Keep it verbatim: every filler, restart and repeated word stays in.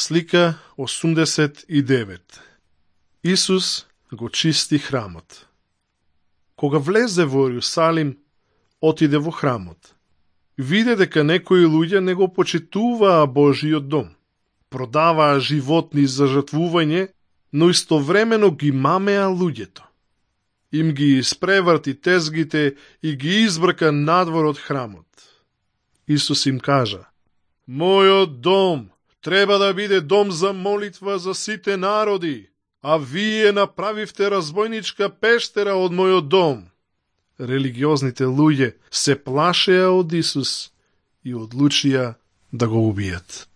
Слика осумдесет и девет. Исус го чисти храмот. Кога влезе во Иерусалим, отиде во храмот. Виде дека некои луѓе не го почитуваа Божиот дом. Продаваа животни за жртвување, но истовремено ги мамеа луѓето. Им ги испреврти тезгите и ги избрка надвор од храмот. Исус им кажа: Мојот дом треба да биде дом за молитва за сите народи, а вие направивте разбойничка пештера од мојот дом. Религиозните луѓе се плашеа од Исус и одлучија да го убијат.